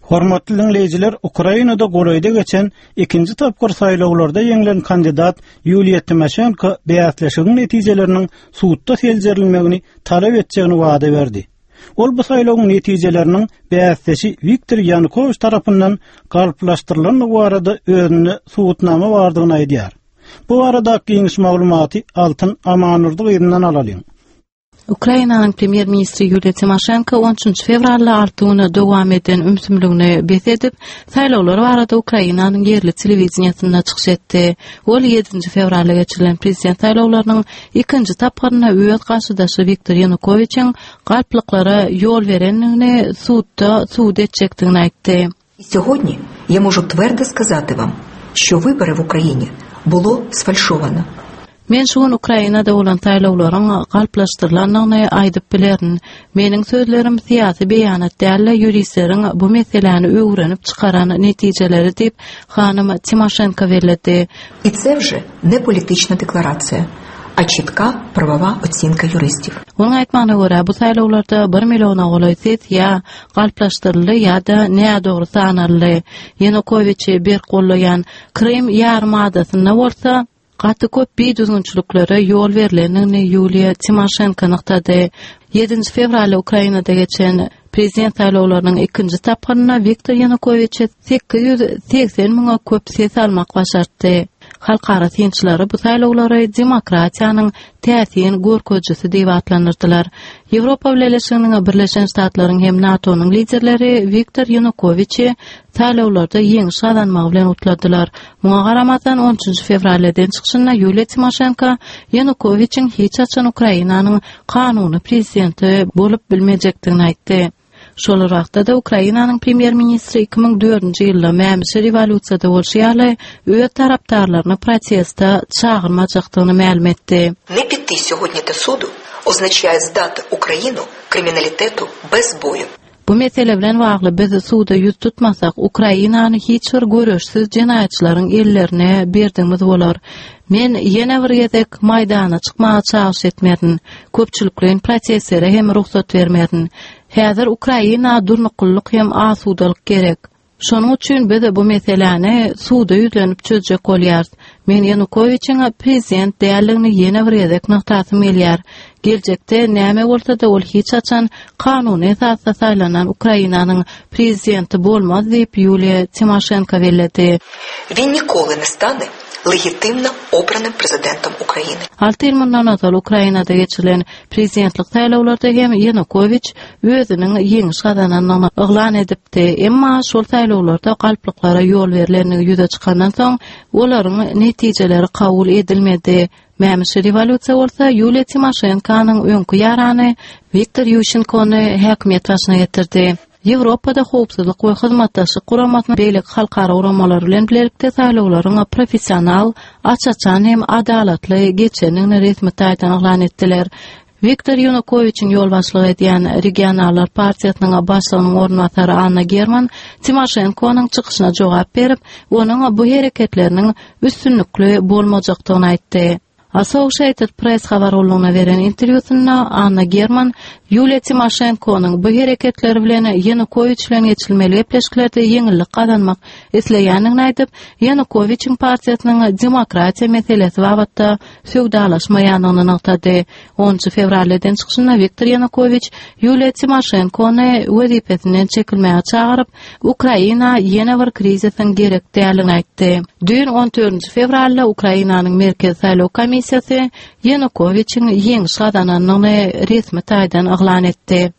Hormatly diňleýjiler, Ukrainada golaýda geçen ikinji tapgyr saýlawlarda ýeňlen kandidat Ýuliýa Timoşenko bäsleşigiň netijeleriniň sudda seljerilmegini talap etjegini wada berdi. Ol bu saýlawyň netijeleriniň bäsdeşi Wiktor Ýanukowiç tarapyndan galplaşdyrylandygy barada özünde subutnama bardygyny aýdýar. Bu baradaky giňiş maglumaty Altyn Amandurdy gyzyndan alalyň. Ukrainanyň premýer-ministri Ýuliýa Timoşenko on üçünji fewralda alty güne dowam eden ümsümligini bes edip, saýlawlar barada Ukrainanyň ýerli telewideniýesinde çykyş etdi. Ol ýedinji fewralda geçirilen prezident saýlawlarynyň ikinji tapgyrynda öz garşydaşy Wiktor Ýanukowiçiň galplyklara ýol berendigini sudda subut etjekdigini aýtdy. Сьогодні я можу твердо сказати вам, що вибори в Україні було сфальшовано. Men şu gün Ukrainada bolan saýlawlaryň galplaşdyrylandygyny aýdyp bilerin. Meniň sözlerim syýasy beýanat däl-de, ýuristleriň bu meseläni öwrenip çykaran netijeleri diýip, hanym Timoşenko belledi. І це вже не політична декларація, a çitka prawова оцінка юристів. Onuň aýtmagyna görä, bu saýlawlarda bir milliona golaý ses ýa galplaşdyryldy ýa-da nädogry sanaldy. Ýanukowiçi berk gollaýan Krym ýarymadasynda bolsa, gaty köp bidüzgünçiliklere ýol berlendigini Ýuliýa Timoşenko nygtady. Ýedinji fewralda Ukrainada geçen prezident saýlawlarynyň ikinji tapgyrynda Wiktor Ýanukowiçe 880 müňe köp ses almak başartdy. Halkara synçylary bu saýlawlary demokratiýanyň täsin görkezijisi diýip atlandyrdylar. Ýewropa Bileleşiginiň, Birleşen Ştatlaryň hem NATO-nyň liderleri Wiktor Ýanukowiçi saýlawlarda ýeňiş gazanmagy bilen gutladylar. Muňa garamazdan, on üçünji fewralda eden çykyşynda Ýuliýa Timoşenko Ýanukowiçiň hiç haçan Ukrainanyň kanuny prezidenti bolup bilmejekdigini aýtdy. Şol bir wagtda-da Ukrainanyň premýer-ministri 2004-nji ýylda mämişi rewolýusiýada bolşy ýaly, öz tarapdarlaryny proteste çagyrmajakdygyny mälim etdi. Ne piti сьогодні до суду означає здати Україну kriminalitetu bez boju. Bu mesele bilen bagly biz suda ýüz tutmasak, Ukrainany hiç bir göreşsiz jenaýatçylaryň ellerine berdigimiz bolar. Men ýene bir gezek Maýdana çykmaga çagyryş etmerin. Köpçülikleýin protestlere hem rugsat bermerin. Häzir Ukraina durnuklylyk hem asudalyk gerek. Şonuň üçin biz bu meseläni suda ýüzlenip çözjek bolýarys. Men Ýanukowiçiň prezident däldigini ýene bir gezek nygtasym gelýär. Geljekde näme bolsa-da ol hiç haçan kanuny esasda saýlanan Ukrainanyň prezidenti bolmaz diýip, Ýuliýa Timoşenko belledi. Він ніколи не стане легітимно обраним президентом України. Alty ýyl mundan ozal Ukrainada geçirilen prezidentlik saýlawlarda hem Ýanukowiç özüniň ýeňiş gazanandygyny yglan edipdi. Emma şol saýlawlarda galplyklara ýol berlendigi ýüze çykandan soň, olaryň netijeleri kabul edilmedi. Mämişi rewolýusiýa bolsa Ýuliýa Timoşenkonyň öňki ýarany Wiktor Ýuşenkony häkimiýet başyna getirdi. Ýewropada Howpsuzlyk we Hyzmatdaşlyk Guramasynyň beýleki halkara guramalary bilen bilelikde saýlawlaryň professional, aç-açan hem adalatly geçendigini resmi taýdan yglan etdiler. Wiktor Ýanukowiçiň ýolbaşçylyk edýän Regionallar partiýasynyň başlygynyň orunbasary Anna German Timoşenkonyň çykyşyna jogap berip, onuň bu hereketleriniň üstünlikli bolmajakdygyny aýtdy. Associated Press habar gullugyna beren interwýusynda Anna German Ýuliýa Timoşenkonyň bu hereketleri bilen Ýanukowiç bilen geçirilmeli gepleşiklerde ýeňillik gazanmak isleýändigini aýdyp, Ýanukowiçiň partiýasynyň demokratiýa meselesi babatda söwdalaşmaýandygyny nygtady. Onunjy fewralda eden çykyşynda Wiktor Ýanukowiç Ýuliýa Timoşenkony wezipesinden çekilmäge çagyryp, Ukraina ýene bir krizisiň gerek däldigini aýtdy. Düýn on dördünji fewralda Ukrainanyň Merkezi saýlaw komissiýasy Ýanukowiçiň ýeňiş gazanandygyny resmi taýdan yglan etdi.